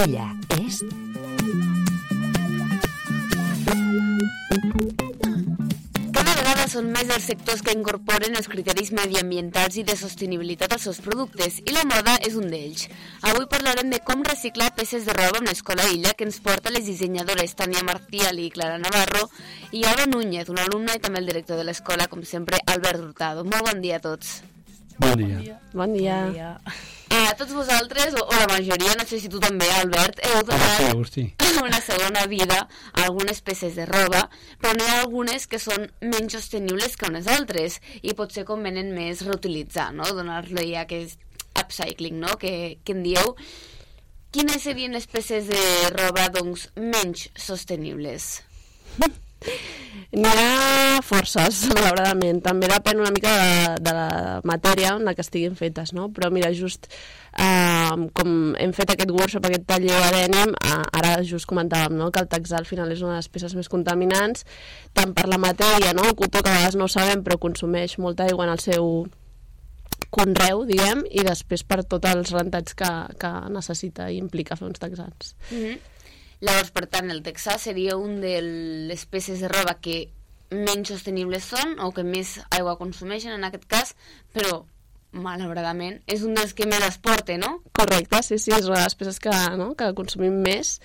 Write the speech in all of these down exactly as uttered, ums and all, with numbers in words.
Ella és... Cada vegada són més els sectors que incorporen els criteris mediambientals i de sostenibilitat als seus productes, i la moda és un d'ells. Avui parlarem de com reciclar peces de roba amb l'Escola Illa, que ens porta les dissenyadores Tania Marcial i Clara Navarro, i Alba Núñez, una alumna i també el director de l'escola, com sempre, Albert Hurtado. Molt bon dia a tots. Bon dia. Bon dia. Bon dia. A tots vosaltres, o, o la majoria, no sé si tu també, Albert, heu donat Agustí. una segona vida a algunes peces de roba, però n'hi ha algunes que són menys sostenibles que unes altres i potser convenen més reutilitzar, no? Donar-li aquest upcycling, no? Que, que en dieu. Quines serien les peces de roba, doncs, menys sostenibles? N'hi ha forces, malauradament. També depèn una mica de, de la matèria en la que estiguin fetes, no? Però mira, just eh, com hem fet aquest workshop, aquest taller de dènim, eh, ara just comentàvem, no?, que el texà al final és una de les peces més contaminants, tant per la matèria, no?, el cotó, que a vegades no ho sabem, però consumeix molta aigua en el seu conreu, diguem, i després per tots els rentats que, que necessita i implica fer uns texans. Mm-hmm. Llavors, per tant, el texà seria un de les peces de roba que menys sostenibles són o que més aigua consumeixen en aquest cas, però malauradament és un dels que més es porta, no? Correcte, sí, sí, és una de les peces que, no?, que consumim més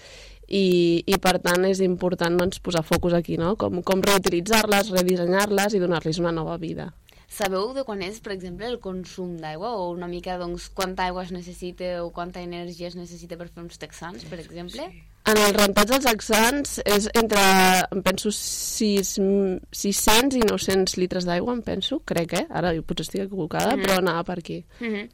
i, i per tant és important, doncs, posar focus aquí, no?, com, com reutilitzar-les, redissenyar-les i donar-los una nova vida. Sabeu de quan és, per exemple, el consum d'aigua o una mica, doncs, quanta aigua es necessita o quanta energia es necessita per fer uns texans, per exemple? Sí. En els rentats dels texans és entre, em penso, sis-cents i nou-cents litres d'aigua, em penso, crec, eh? Ara potser estic equivocada, mm-hmm. però anava per aquí. Mm-hmm.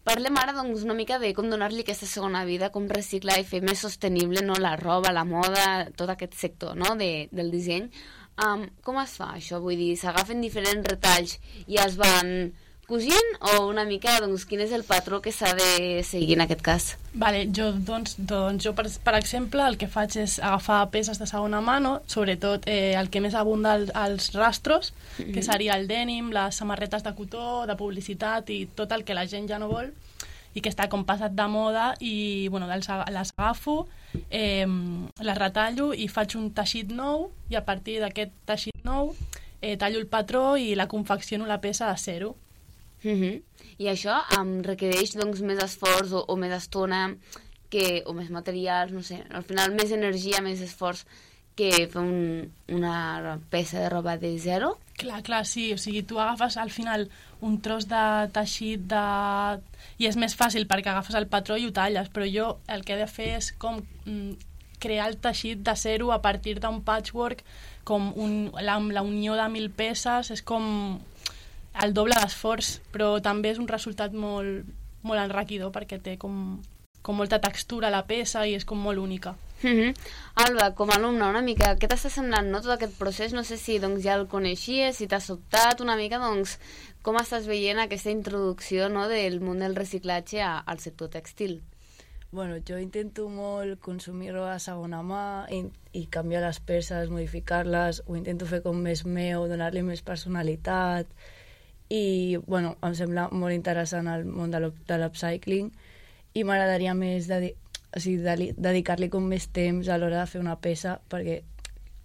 Parlem ara, doncs, una mica de com donar-li aquesta segona vida, com reciclar i fer més sostenible, no?, la roba, la moda, tot aquest sector, no?, de, del disseny. Um, com es fa això? Vull dir, s'agafen diferents retalls i es van cosint o una mica, doncs, quin és el patró que s'ha de seguir en aquest cas? Vale, jo, doncs, doncs jo per, per exemple, el que faig és agafar peces de segona mà, no? Sobretot eh, el que més abunda al, als rastros, mm-hmm. que seria el dènim, les samarretes de cotó, de publicitat i tot el que la gent ja no vol i que està com passat de moda i, bueno, les, les agafo, eh, les retallo i faig un teixit nou i a partir d'aquest teixit nou eh, tallo el patró i la confecciono la peça a zero. Mm-hmm. I això um, requereix, doncs, més esforç o, o més estona que, o més materials, no sé, al final més energia, més esforç que fer un, una peça de roba de zero? Clar, clar, sí, o sigui, tu agafes al final un tros de teixit de... i és més fàcil perquè agafes el patró i ho talles, però jo el que he de fer és com mm, crear el teixit de zero a partir d'un patchwork, com un, la, la unió de mil peces, és com el doble d'esforç, però també és un resultat molt, molt enriquidor perquè té com, com molta textura la peça i és com molt única. Mm-hmm. Alba, com a alumna, una mica, què t'està semblant, no, tot aquest procés? No sé si, doncs, ja el coneixies, si t'ha sobtat una mica, doncs, com estàs veient aquesta introducció, no, del món del reciclatge a, al sector tèxtil? Bueno, jo intento molt consumir roba de segona mà i, i canviar les peces, modificar-les, ho intento fer com més meu, donar-li més personalitat i, bueno, em sembla molt interessant el món de l'upcycling i m'agradaria més dedi o sigui, de dedicar-li com més temps a l'hora de fer una peça perquè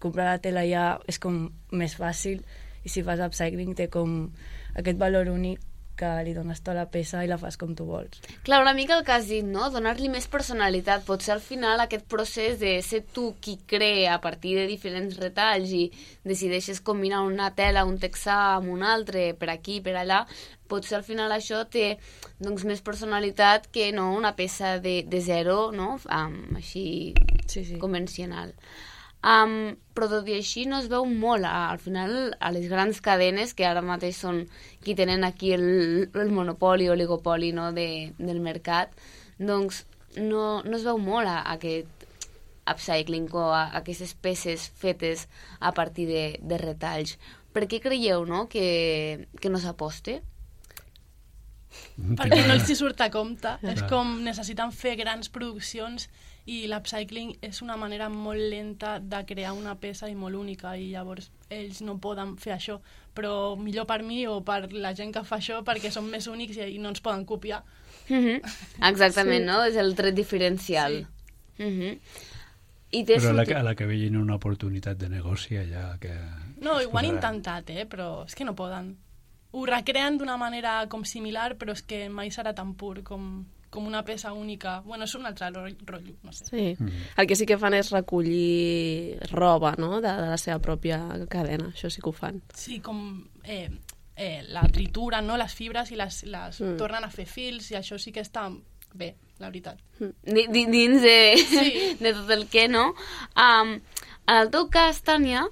comprar la tela ja és com més fàcil i si fas upcycling té com aquest valor únic que li dones tota la peça i la fas com tu vols. Clar, una mica el que has dit, no? Donar-li més personalitat. Potser al final aquest procés de ser tu qui crea a partir de diferents retalls i decideixes combinar una tela, un texà amb un altre, per aquí, per allà, potser al final això té, doncs, més personalitat que no una peça de, de zero, no? Um, així sí, sí. convencional. Um, però tot i així no es veu molt a, al final a les grans cadenes que ara mateix són qui tenen aquí el, el monopoli o oligopoli, no, de, del mercat, doncs no, no es veu molt a, a aquest upcycling o a, a aquestes peces fetes a partir de, de retalls. Per què creieu, no, que, que no s'aposte? Perquè no els hi surt a compte. És com necessiten fer grans produccions i l'upcycling és una manera molt lenta de crear una peça i molt única i llavors ells no poden fer això, però millor per mi o per la gent que fa això perquè són més únics i no ens poden copiar. Mm-hmm. Exactament, sí. No? És el tret diferencial. Sí. Uh-huh. I té Però a la, sortit- que- a la que vegin una oportunitat de negoci allà que... No, ho han es posaran. intentat, eh, però és que no poden. Ho recreen d'una manera com similar, però és que mai serà tan pur com, com una peça única. Bueno, és un altre ro- rotllo, no sé. Sí. Mm. El que sí que fan és recollir roba, no?, de, de la seva pròpia cadena. Això sí que ho fan. Sí, com eh, eh, la trituren, no?, les fibres i les, les Mm. mm. tornen a fer fils, i això sí que està bé, la veritat. Di- di- dins de, Sí. de tot el que, no? Um, en el teu cas, Tània,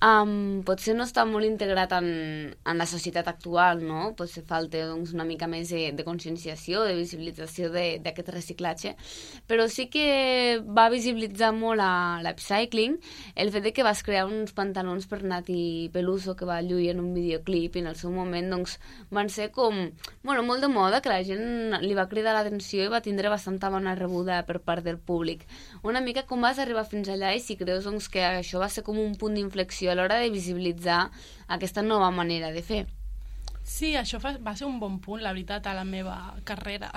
um, potser no està molt integrat en, en la societat actual, no? Potser falta doncs, una mica més de, de conscienciació, de visibilització de- d'aquest reciclatge, però sí que va visibilitzar molt a l'upcycling el fet de que vas crear uns pantalons per Nati Peluso que va lluir en un videoclip i en el seu moment doncs, van ser com, bueno, molt de moda, que la gent li va cridar l'atenció i va tindre bastanta bona rebuda per part del públic. Una mica com vas arribar fins allà i si creus doncs, que això va ser com un punt d'inflexió a l'hora de visibilitzar aquesta nova manera de fer. Sí, això fa, va ser un bon punt, la veritat, a la meva carrera.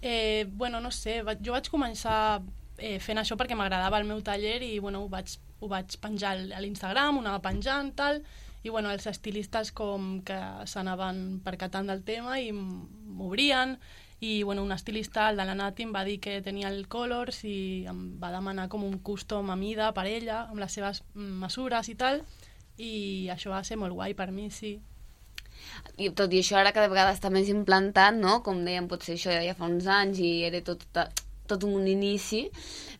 Eh, bueno, no sé, va, jo vaig començar eh, fent això perquè m'agradava el meu taller i bueno, ho, vaig, ho vaig penjar al- a l'Instagram, ho anava penjant, tal, i bueno, els estilistes com que s'anaven percatant del tema i m- m'obrien, i bueno, un estilista, el de la Nati, em va dir que tenia el Colors i em va demanar com un custom a mida per ella, amb les seves mm, mesures i tal, i això va ser molt guai per mi, sí. I tot i això ara cada vegada està més implantat, no? Com dèiem, potser això ja fa uns anys i era tot, tot un inici,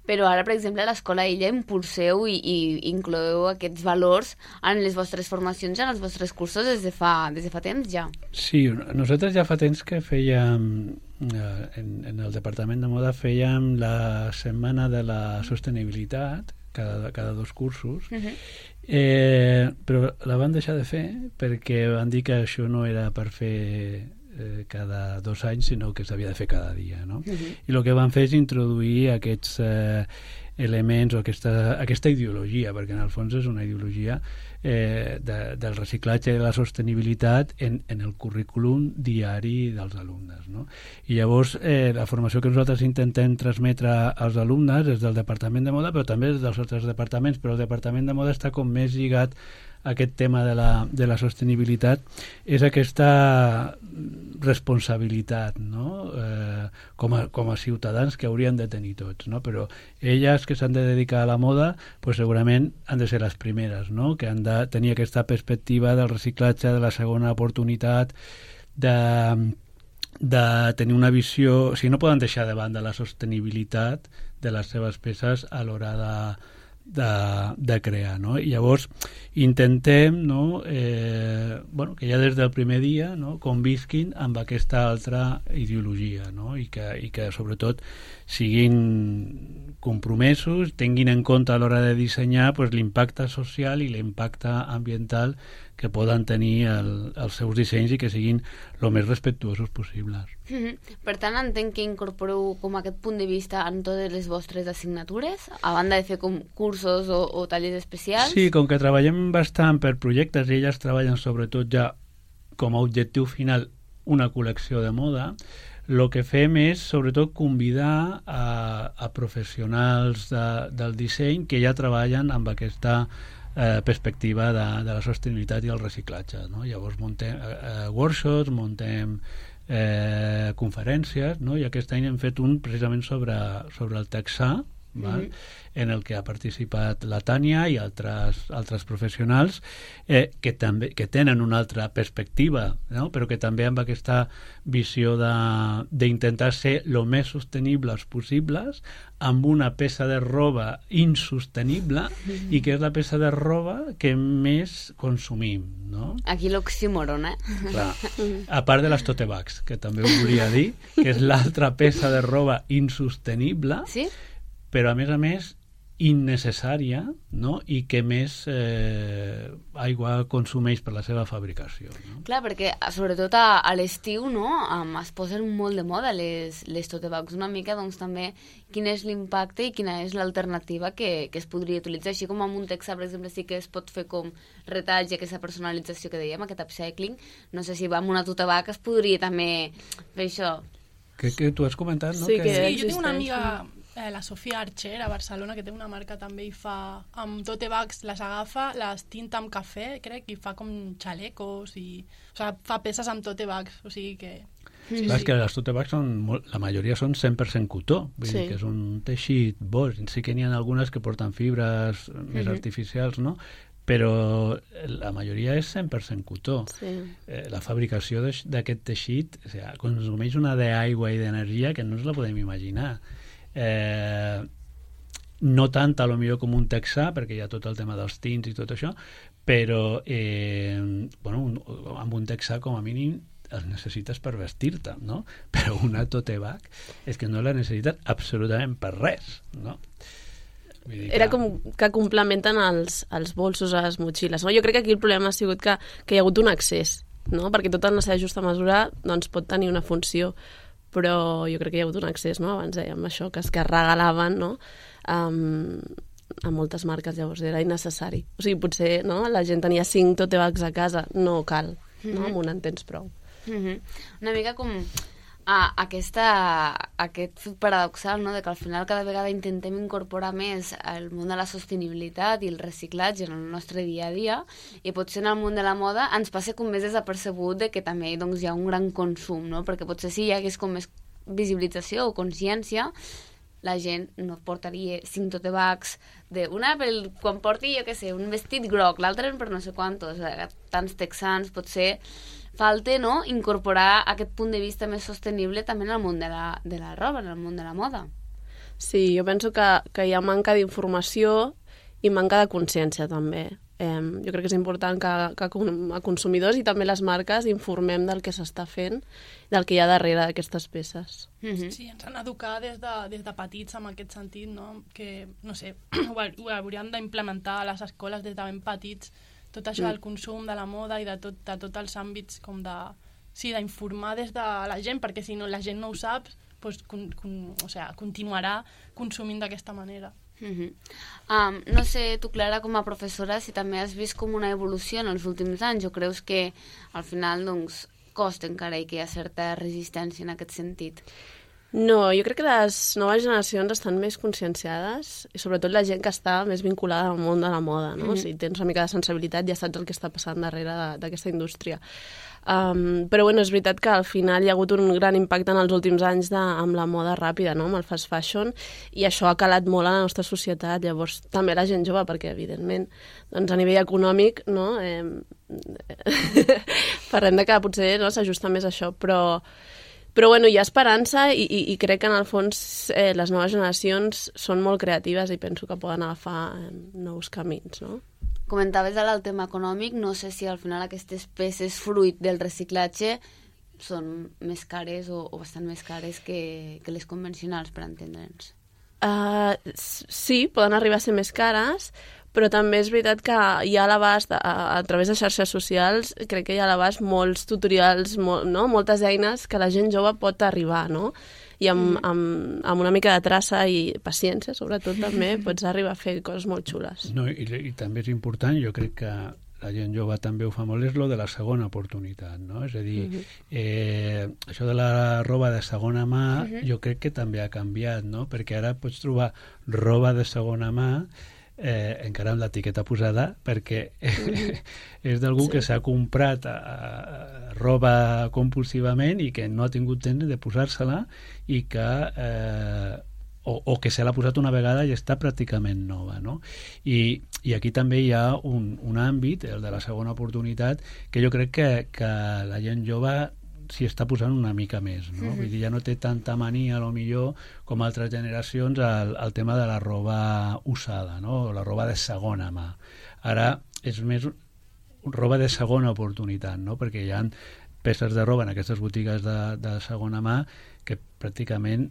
però ara, per exemple, a l'escola ella impulseu i, i incloeu aquests valors en les vostres formacions, en els vostres cursos des de fa, des de fa temps ja. Sí, nosaltres ja fa temps que fèiem, eh, en, en el Departament de Moda fèiem la setmana de la sostenibilitat, cada, cada dos cursos, Uh-huh. eh, però la van deixar de fer perquè van dir que això no era per fer eh, cada dos anys, sinó que s'havia de fer cada dia, no? Uh-huh. I el que van fer és introduir aquests eh, elements o aquesta, aquesta ideologia, perquè en el fons és una ideologia eh, de, del reciclatge i de la sostenibilitat en, en el currículum diari dels alumnes, no? I llavors eh, la formació que nosaltres intentem transmetre als alumnes és del Departament de Moda, però també és dels altres departaments, però el Departament de Moda està com més lligat a aquest tema de la, de la sostenibilitat, és aquesta responsabilitat, no? Eh, com, a, com a ciutadans que haurien de tenir tots, no? Però elles que s'han de dedicar a la moda, pues segurament han de ser les primeres, no? Que han de tenir aquesta perspectiva del reciclatge, de la segona oportunitat, de, de tenir una visió... O sigui, no poden deixar de banda la sostenibilitat de les seves peces a l'hora de, de, de crear, no? I llavors intentem, no, eh, bueno, que ja des del primer dia, no, convisquin amb aquesta altra ideologia, no? I que, i que sobretot siguin compromesos, tinguin en compte a l'hora de dissenyar pues, l'impacte social i l'impacte ambiental que poden tenir el, els seus dissenys i que siguin el més respectuosos possibles. Mm-hmm. Per tant, entenc que incorporeu com aquest punt de vista en totes les vostres assignatures, a banda de fer com cursos o, o tallers especials? Sí, com que treballem bastant per projectes i elles treballen sobretot ja com a objectiu final una col·lecció de moda, el que fem és sobretot convidar a, a professionals de, del disseny que ja treballen amb aquesta eh, perspectiva de, de la sostenibilitat i el reciclatge, no? Llavors muntem eh, workshops, muntem eh, conferències, no? I aquest any hem fet un precisament sobre, sobre el texà, val? Mm-hmm. En el que ha participat la Tània i altres, altres professionals eh, que, també, que tenen una altra perspectiva, no? Però que també amb aquesta visió d'intentar ser el més sostenibles possibles amb una peça de roba insostenible mm-hmm. i que és la peça de roba que més consumim, no? Aquí l'oxímoron, eh? Clar. A part de les tote bags, que també ho volia dir, que és l'altra peça de roba insostenible, sí? Però a més a més innecessària, no? I que més eh, aigua consumeix per la seva fabricació, no? Clar, perquè sobretot a, a l'estiu, no? Um, es posen molt de moda les, les tote bags, una mica doncs també quin és l'impacte i quina és l'alternativa que, que es podria utilitzar, així com amb un texà, per exemple, sí que es pot fer com retalls i aquesta personalització que dèiem, aquest upcycling, no sé si amb una tote bag es podria també fer això. Que, que tu has comentat, no? Sí, que... que- Sí, jo tinc una existeix, amiga eh, la Sofia Archer a Barcelona, que té una marca també i fa, amb tote bags les agafa, les tinta amb cafè, crec, i fa com xalecos i... O sigui, fa peces amb tote bags, o sigui que... Sí, sí. És que les tote bags són, molt, la majoria són cent per cent cotó, vull sí. dir que és un teixit bo, sí que n'hi ha algunes que porten fibres més mm-hmm. artificials, no? Però la majoria és cent per cent cotó. Sí. Eh, la fabricació d'aquest teixit, o sigui, consumeix una d'aigua i d'energia que no ens la podem imaginar. Eh, no tant, a lo millor, com un texà, perquè hi ha tot el tema dels tints i tot això, però eh, bueno, un, amb un texà, com a mínim, els necessites per vestir-te, no? Però una tote bag és que no la necessites absolutament per res, no? Era com que complementen els, els bolsos a les motxilles, no? Jo crec que aquí el problema ha sigut que, que hi ha hagut un excés, no? Perquè tot en la seva justa mesura doncs, pot tenir una funció, però jo crec que hi ha hagut un excés, no? Abans dèiem això, que es que regalaven, no? Um, a moltes marques, llavors era innecessari. O sigui, potser no? La gent tenia cinc tote bags a casa, no cal, no? Mm-hmm. Amb un en tens prou. Mm-hmm. Una mica com... Ah, aquesta, aquest paradoxal, no?, de que al final cada vegada intentem incorporar més el món de la sostenibilitat i el reciclatge en el nostre dia a dia, i potser en el món de la moda ens passa com més desapercebut de que també doncs, hi ha un gran consum, no? Perquè potser si hi hagués com més visibilització o consciència, la gent no portaria cinc tote bags d'una pel quan porti, jo què sé, un vestit groc, l'altre per no sé quantos, tants texans, potser falta, no?, incorporar aquest punt de vista més sostenible també en el món de la, de la roba, en el món de la moda. Sí, jo penso que, que hi ha manca d'informació i manca de consciència també. Eh, jo crec que és important que, que a consumidors i també les marques informem del que s'està fent, del que hi ha darrere d'aquestes peces. Mm-hmm. Sí, ens han d'educar des, de, des de petits en aquest sentit, no? Que, no sé, ho, ho hauríem d'implementar a les escoles des de ben petits, tot això del consum, de la moda i de, tot, de tots els àmbits com de... Sí, d'informar des de la gent, perquè si no la gent no ho sap, doncs, con, con, o sea, continuarà consumint d'aquesta manera. Mm-hmm. um, no sé, tu, Clara, com a professora, si també has vist com una evolució en els últims anys, o creus que al final doncs, costa encara i que hi ha certa resistència en aquest sentit? No, jo crec que les noves generacions estan més conscienciades, i sobretot la gent que està més vinculada al món de la moda, no? Mm-hmm. Si tens una mica de sensibilitat ja saps el que està passant darrere d'aquesta indústria. Um, però bueno, és veritat que al final hi ha hagut un gran impacte en els últims anys de, amb la moda ràpida, no? Amb el fast fashion, i això ha calat molt a la nostra societat. Llavors també la gent jove, perquè evidentment doncs, a nivell econòmic, no? eh, parlem de que potser no, s'ajusta més a això, però Però bueno, hi ha esperança i, i, i crec que en el fons eh, les noves generacions són molt creatives i penso que poden agafar eh, nous camins, no? Comentaves ara el tema econòmic, no sé si al final aquestes peces fruit del reciclatge són més cares o, o bastant més cares que, que les convencionals, per entendre'ns. Uh, sí, poden arribar a ser més cares, però també és veritat que hi ha a l'abast, a, a través de xarxes socials, crec que hi ha a l'abast molts tutorials, molt, no? Moltes eines que la gent jove pot arribar, no? I amb, mm. amb, amb una mica de traça i paciència, sobretot, també pots arribar a fer coses molt xules. No, i, i també és important, jo crec que la gent jove també ho fa molt, és lo de la segona oportunitat, no? És a dir, mm-hmm. eh, això de la roba de segona mà, mm-hmm. jo crec que també ha canviat, no? Perquè ara pots trobar roba de segona mà Eh, encara amb l'etiqueta posada perquè mm-hmm. és d'algú sí. que s'ha comprat a, a, roba compulsivament i que no ha tingut temps de posar-se-la i que eh, o, o que se l'ha posat una vegada i està pràcticament nova, no? I, i aquí també hi ha un, un àmbit, el de la segona oportunitat, que jo crec que, que la gent jove s'hi està posant una mica més, no? Mm-hmm. Vull dir, ja no té tanta mania, a lo millor, com altres generacions, al, al tema de la roba usada, no? La roba de segona mà. Ara és més roba de segona oportunitat, no? Perquè hi ha peces de roba en aquestes botigues de, de segona mà que pràcticament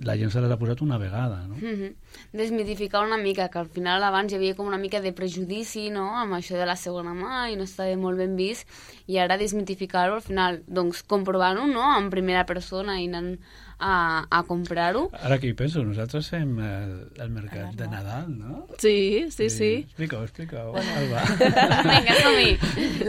la gent se les ha posat una vegada, no? Mm-hmm. Desmitificar una mica, que al final abans hi havia com una mica de prejudici, no?, amb això de la segona mà i no estava molt ben vist, i ara desmitificar-ho al final, doncs comprovar-ho, no?, en primera persona i anant a, a comprar-ho. Ara que hi penso, nosaltres fem el, el mercat de Nadal, no? Sí, sí, sí. sí. Explica-ho, explica-ho. Vinga, som-hi.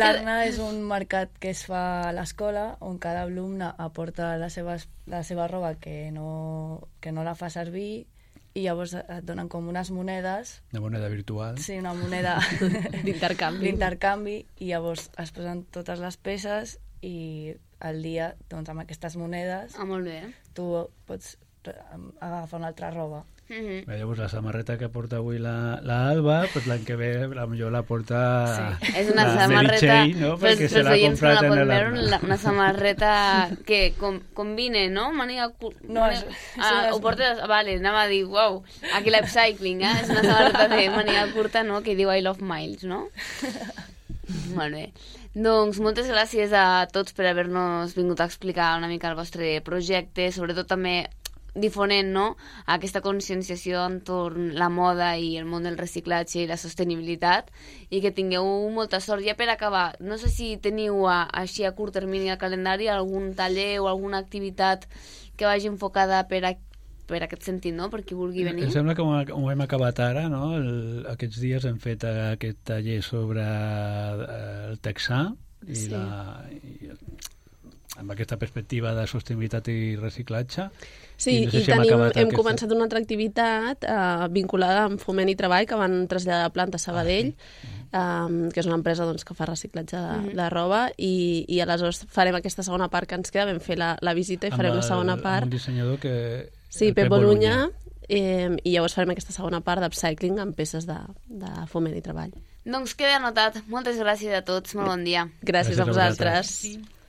L'Arna és un mercat que es fa a l'escola on cada alumne aporta les seves les, la seva roba que no, que no la fa servir, i llavors et donen com unes monedes. Una moneda virtual. Sí, una moneda d'intercanvi. d'intercanvi, i llavors es posen totes les peces i al dia, doncs, amb aquestes monedes, Ah, molt bé. tu pots agafar una altra roba. Mm-hmm. Bé, llavors la samarreta que porta avui la, la Alba, pues l'any que ve la millor la porta Sí. És una la Mary samarreta, Chey, no? pels, Perquè se pels l'ha oients que no comprat la en poden el veure, arma. la, una samarreta que com, combine, no? Màniga curta. No, és- ah, és- ho portes... Vale, anava a dir, uau, aquí l'upcycling, eh? És una samarreta de màniga curta, no? Que diu I love miles, no? Molt bé. Doncs moltes gràcies a tots per haver-nos vingut a explicar una mica el vostre projecte, sobretot també difonent, no?, aquesta conscienciació entorn la moda i el món del reciclatge i la sostenibilitat, i que tingueu molta sort. Ja per acabar, no sé si teniu a, així a curt termini al calendari algun taller o alguna activitat que vagi enfocada per a per aquest sentit, no?, per qui vulgui venir. Em sembla que ho, ho hem acabat ara, no? El, aquests dies hem fet aquest taller sobre eh, el texà i, Sí. la, i el, amb aquesta perspectiva de sostenibilitat i reciclatge. Sí, I no sé i si hem tenim, acabat hem aquesta- començat una altra activitat eh, vinculada amb Foment i Treball, que van traslladar a planta a Sabadell, Ah, eh, que és una empresa doncs, que fa reciclatge de, de roba, i, i aleshores farem aquesta segona part que ens queda. Vam fer la, la visita i Amb farem la el- segona amb part. un dissenyador que... Sí, el Pep Bolunya, eh, i llavors farem aquesta segona part d'upcycling amb peces de, de Foment i Treball. Doncs queda anotat. Moltes gràcies a tots. Molt bon dia. Gràcies, Gràcies a a vosaltres. vosaltres. Sí.